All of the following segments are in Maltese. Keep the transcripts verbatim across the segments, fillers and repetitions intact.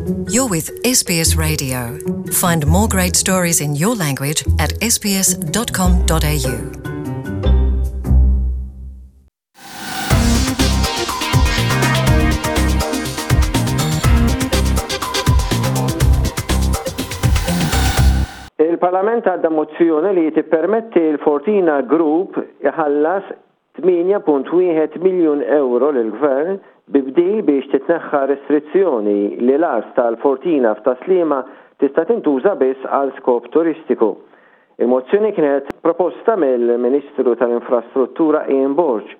You're with S B S Radio. Find more great stories in your language at S B S dot com dot A U. Il-Parlament għadda mozzjoni li tippermetti l-Fortina Group iħallas tmienja punt wieħed miljun euro lill-gvern bi bdil biex titneħħa restrizzjoni li l-art tal-Fortina f'Tas-Sliema tista' tintuża biss għal skop turistiku. Il-mozzjoni kienet proposta mill-Ministru tal-Infrastruttura Ian Borg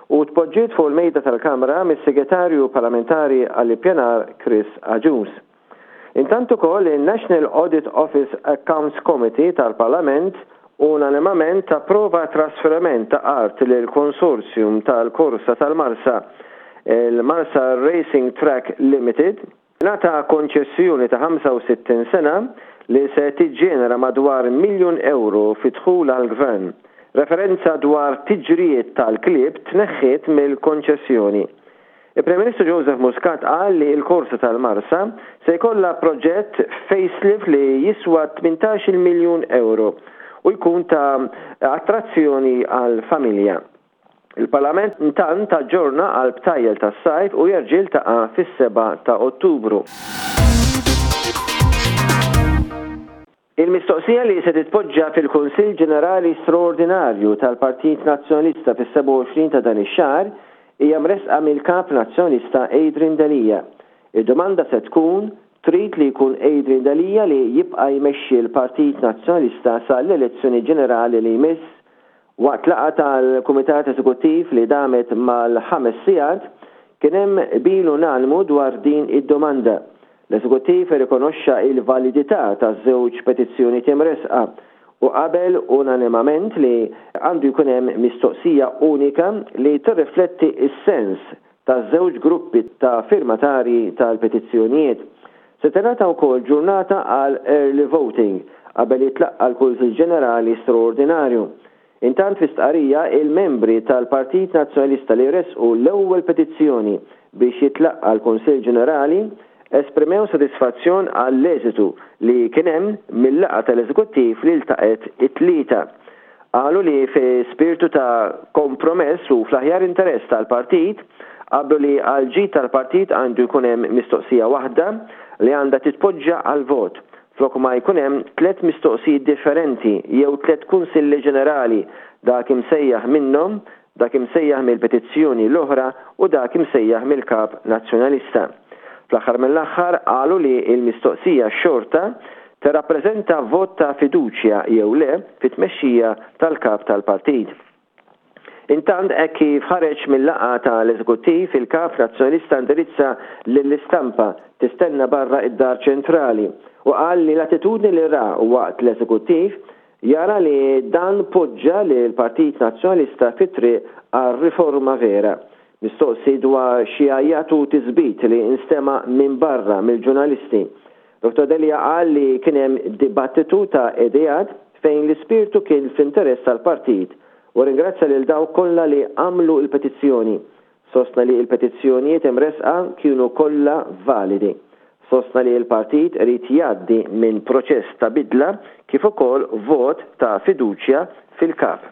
u tpoġġiet fuq il-mejda tal-Kamra mis-Segretarju Parlamentari għall-Ippjanar Chris Agius. Intant ukoll il-National Audit Office Accounts Committee tal-Parlament unanimament approva trasferiment ta' art lil konsorzjum tal-Korsa tal-Marsa, il-Marsa Racing Track Limited, ngħata konċessjoni ta' ħamsa u sittin sena li se tiġġenera madwar miljun euro fi dħul għall-gvern. Referenza dwar tiġrijiet tal-klieb tneħħiet mill-konċessjoni. Il-Prim Ministru Joseph Muscat qal li l-korsa tal-Marsa se jkollha proġett facelift li jiswa tmintax-il miljun euro u jkun ta' attrazzjoni għal familja. Il-Parlament intant aġġorna għal btajjel tas-sajf u jerġa' jiltaqa' fis-sebgħa ta' Ottubru. Il-mistoqsija li se titpoġġa fil-Kunsill Ġenerali Straordinarju tal-Partit Nazzjonalista fis-sebgħa u għoxrin ta' dan ix-xahar hija mresqa mill-Kap Nazzjonalista Adrian Delia. Id-domanda se tkun: trid li jkun Adrian Delia li jibqa' jmexxi l-Partit Nazzjonalista sal-elezzjoni ġenerali li jmiss? Waqt laqgħa tal-Kumitat Eżekuttiv li damet mal-ħames sigħat kien hemm qbil unanimu dwar din id-domanda. L-Eżekuttiv irrikonoxxa il-validità taż-żewġ petizzjoni imresqa u qabel unanimament li għandu jkun hemm mistoqsija unika li tirrifletti is-sens taż-żewġ gruppi ta' firmatari tal-petizzjonijiet. Se tingħata wkoll ġurnata għal early voting qabel jitlaqqa l-Kunsill Ġenerali Straordinarju. Intant, fi stqarrija, il-membri tal-Partit Nazzjonalista li resqu l-ewwel petizzjoni biex jitlaqqa l-Kunsill Ġenerali esprimew sodisfazzjon għall-eżitu li kien hemm mill-laqgħa tal-Eżekuttiv li ltaqgħet it-Tlieta. Qalu li fi spiritu ta' kompromess u fl-aħjar interess tal-partit qablu li għal-ġid tal-partit għandu jkun hemm mistoqsija waħda li għandha titpoġġa għal vot flok ma jkun hemm tliet mistoqsijiet differenti jew tliet kunsilli ġenerali, dak imsejjaħ minnhom, dak imsejjaħ mill-petizzjoni l-oħra u dak imsejjaħ mill-Kap Nazzjonalista. Fl-aħħar mill-aħħar qalu li l-mistoqsija xorta tirrappreżenta vot ta' fiduċja jew le fit-tmexxija tal-kap tal-partit. Intant, hekk kif ħareġ mill-laqgħa tal-Eżekuttiv, il-Kap Nazzjonalista indirizza lill-istampa tistenna barra id-Dar Ċentrali u qal li l-attitudni li ra waqt l-Eżekuttiv jara li dan poġġa li l-Partit Nazzjonalista fit-triq għal riforma vera. Mistoqsi dwar xi għajjat u tisbit li instema minn barra mill-ġurnalisti, Doktor Delia qal li kien hemm dibattitu ta' ideat fejn l-ispirtu kien fl-interess tal-partit u ringrazzja lil dawk kollha li għamlu il-petizzjoni. Sostna li il-petizzjonijiet imresqa kienu kollha validi. Sostna li l-partit irid jgħaddi minn proċess ta' bidla kif ukoll vot ta' fiduċja fil-kap.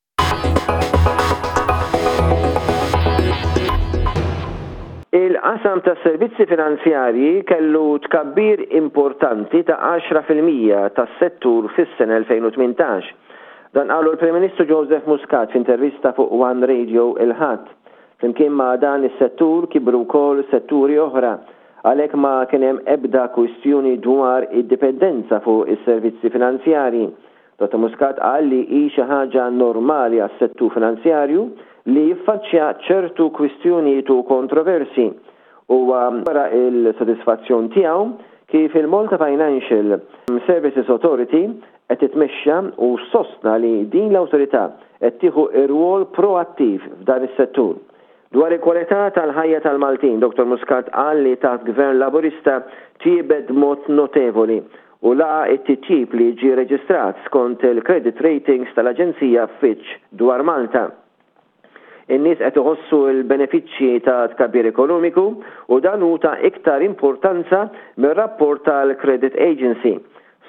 Il-qasam ta' servizzi finanzjarji kellu tkabbir importanti ta' għaxra fil-mija tas-settur fis-sena elfejn u tmintax. Dan qalu l-Prim Ministru Joseph Muscat f'intervista fuq One Radio il-Ħadd. Flimkien ma' dan is-settur kibru wkoll setturi oħra, għalhekk ma kien hemm ebda kwistjoni dwar id-dipendenza fuq is-servizzi finanzjarji. Dottor Muscat qal li hi xi ħaġa normali għas-settur finanzjarju li jiffaċċja ċertu kwistjonijiet u kontroversi. U wara il-sodisfazzjon tiegħu kif il-Malta Financial Services Authority qed titmexxa u sostna li din l-awtorità qed tieħu ir-rwol proattiv f'dan is-settur. Dwar il-kwalità tal-ħajja tal-Maltin, Dottor Muscat qal li taħt Gvern Laburista tjiebet mod notevoli u laqa it-titjib li ġi reġistrat skont il-credit ratings tal-Aġenzija Fitch dwar Malta. In-nies qed iħossu l-benefiċċji ta' tkabbir ekonomiku u dan hu ta' iktar importanza mir-rapport tal-Credit Agency.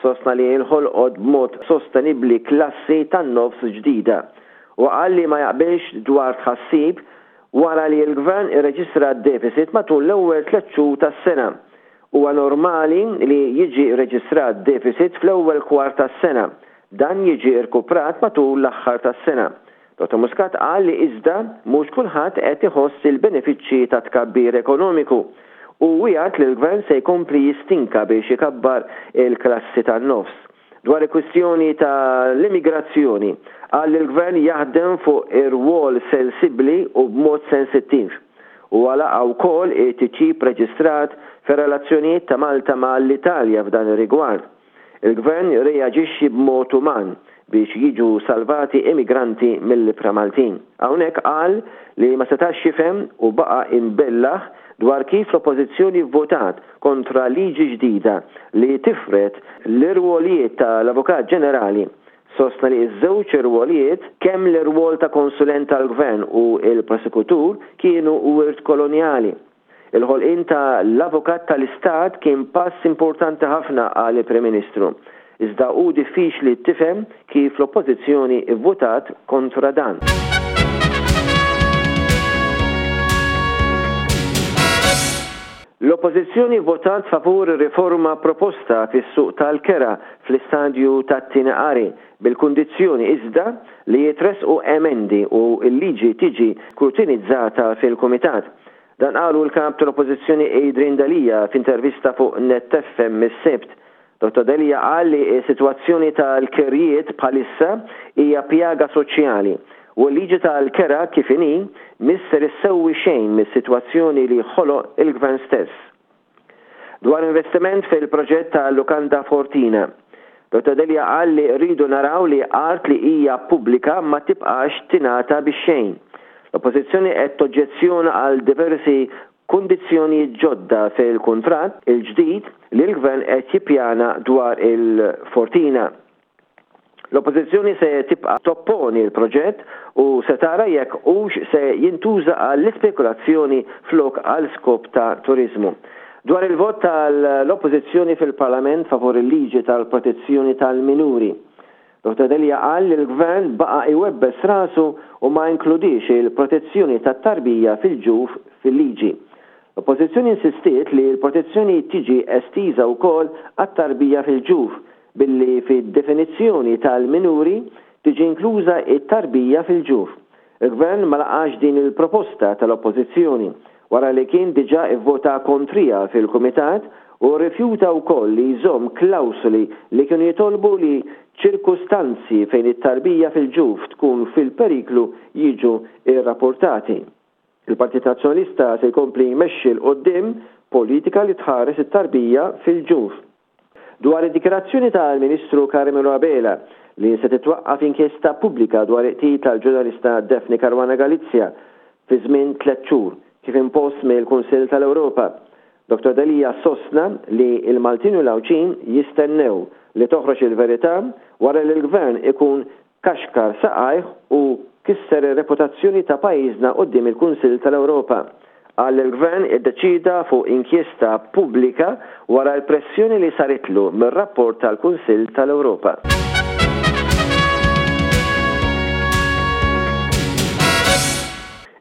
Sostna li nħolqot b'mod sostenibbli klassi tan-nofs ġdida. U qal li ma jaqbilx dwar tħassib wara li l-gvern irreġistra deficit matul l-ewwel tliet xhur tas-sena. Huwa normali li jiġi rreġistrat deficit fl-ewwel kwart tas-sena. Dan jiġi rkuprat matul l-aħħar tas-sena. Dottor Muscat qal li iżda mhux kulħadd qed iħoss il-benefiċċji ta' tkabbir ekonomiku u wiegħed li l-gvern se jkompli jistinka biex ikabbar il-klassi tan-nofs. Dwar il-kwistjoni tal-immigrazzjoni, qal li l-gvern jaħdem fuq ir-rwol sensibbli u b'mod sensittiv. U laqa' wkoll it-titjib reġistrat fir-relazzjonijiet ta' Malta ma' l-Italja f'dan ir-rigward. Il-gvern reaġixxi b'mod uman biex jiġu salvati immigranti mill-ibħra Maltin. Hawnhekk qal li ma setax jifhem u baqa' imbellah dwar kif l-Oppożizzjoni votat kontra liġi ġdida li tifred l-irwolijiet tal-Avukat Ġenerali. Sostna li ż-żewġ irwolijiet, kemm l-irwol ta' konsulent tal-gvern u l-prosekutur, kienu wirt kolonjali. Il-ħolqien ta' l-Avukat tal-Istat kien pass importanti ħafna, qal il-Prim Ministru. Iżda hu diffiċli tifhem kif l-Oppożizzjoni vvotat kontra dan. L-Oppożizzjoni votat favur riforma proposta fis-suq tal-kera fl-istadju tat-tieni qari, bil-kundizzjoni iżda li jitressqu emendi u l-liġi tiġi skrutinizzata fil-Kumitat. Dan qalu l-kap tal-Oppożizzjoni Adrian Delia f'intervista fuq Net F M is-Sibt. Dottor Delia qal li s-sitwazzjoni tal-kerjiet bħalissa hija pjaga soċjali u l-liġi tal-kera kif inhi misser issewwi xejn mis-sitwazzjoni li ħoloq il-gvern stess. Dwar investiment fil-proġett ta' Lukanda Fortina, Dottor Delia qal li rridu naraw li art li hija pubblika ma tibqax tingħata bix xejn. L-Oppożizzjoni qed toġġezzjona għal diversi kundizzjonijiet ġodda fil-kuntratt il-ġdid li l-gvern qed jippjana dwar il-Fortina. L-Oppożizzjoni se tibqa' topponi l-proġett u se tara jekk hux se jintuża għall-ispekulazzjoni flok għal skop ta' turiżmu. Dwar il-vot tal-Oppożizzjoni fil-Parlament favur il-liġi tal-protezzjoni tal-minuri, Dottor Delia qal li l-gvern baqa' iwebbes rasu u ma inkludix il-protezzjoni tat-tarbija fil-ġuf fil-liġi. L-Oppożizzjoni insistiet li l-protezzjoni tiġi estiża wkoll għat-tarbija fil-ġuf billi fid-definizzjoni tal-minuri tiġi inkluża it-tarbija fil-ġuf. Il-gvern ma laqax din il-proposta tal-Oppożizzjoni wara li kien diġà ivvota kontrija fil-Kumitat u rrifjuta wkoll li jżomm klawsoli li kienu jitolbu li ċirkustanzi fejn it-tarbija fil-ġuf tkun fil-periklu jiġu irrapportati. Il-Partit Nazzjonalista se jkompli jmexxi 'l quddiem politika li tħares it-tarbija fil-ġuf. Dwar id-dikjarazzjoni tal-Ministru Carmelo Abela li se titwaqqaf inkjesta pubblika dwar il-qtil tal-ġurnalista Daphne Caruana Galizia fi żmien tliet xhur kif impost mill-Kunsill tal-Ewropa, Dottor Delia sostna li l-Maltin u l-Għawdxin jistennew li toħroġ il-verità wara li l-gvern ikun kaxkar saqajh u kisser ir-reputazzjoni ta' pajjiżna quddiem il-Kunsill tal-Ewropa. Qal li l-gvern iddeċida fuq inkjesta pubblika wara l-pressjoni li saritlu mir-rapport tal-Kunsill tal-Ewropa.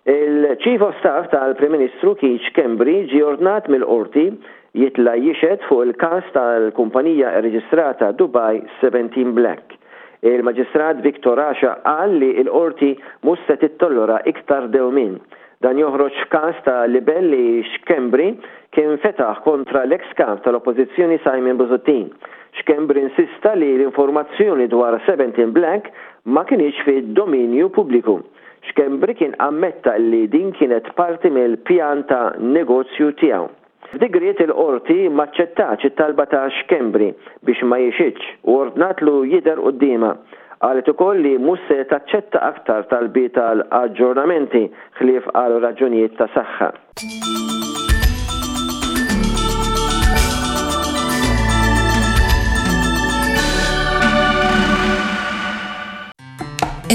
Il-Chief of Staff tal-Prim Ministru Keith Schembri ġie ordnat mill-qorti jitla' jixhed fuq il-każ tal-kumpanija rreġistrata Dubai seventeen Black. Il-Maġistrat Victor Asha qal li l-qorti mhux se tittollera iktar dewmien. Dan joħroġ f'każ ta' libell li Schembri kien fetaħ kontra l-ex kap tal-Oppożizzjoni Simon Busuttil. Schembri insista li l-informazzjoni dwar seventeen Black ma kienx fid-dominju pubbliku. Schembri kien ammetta li din kienet parti mill-pjan ta' negozju tiegħu. F'digriet il-qorti maċċettax it-talba ta' Schembri biex ma jixhidx u ordnatlu jidher quddiemha. Qalet ukoll li mhux se taċċetta aktar talbiet għal aġġornamenti ħlief għal raġunijiet ta' saħħa.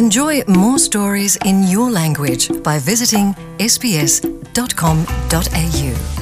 Enjoy more stories in your language by visiting S B S dot com dot A U.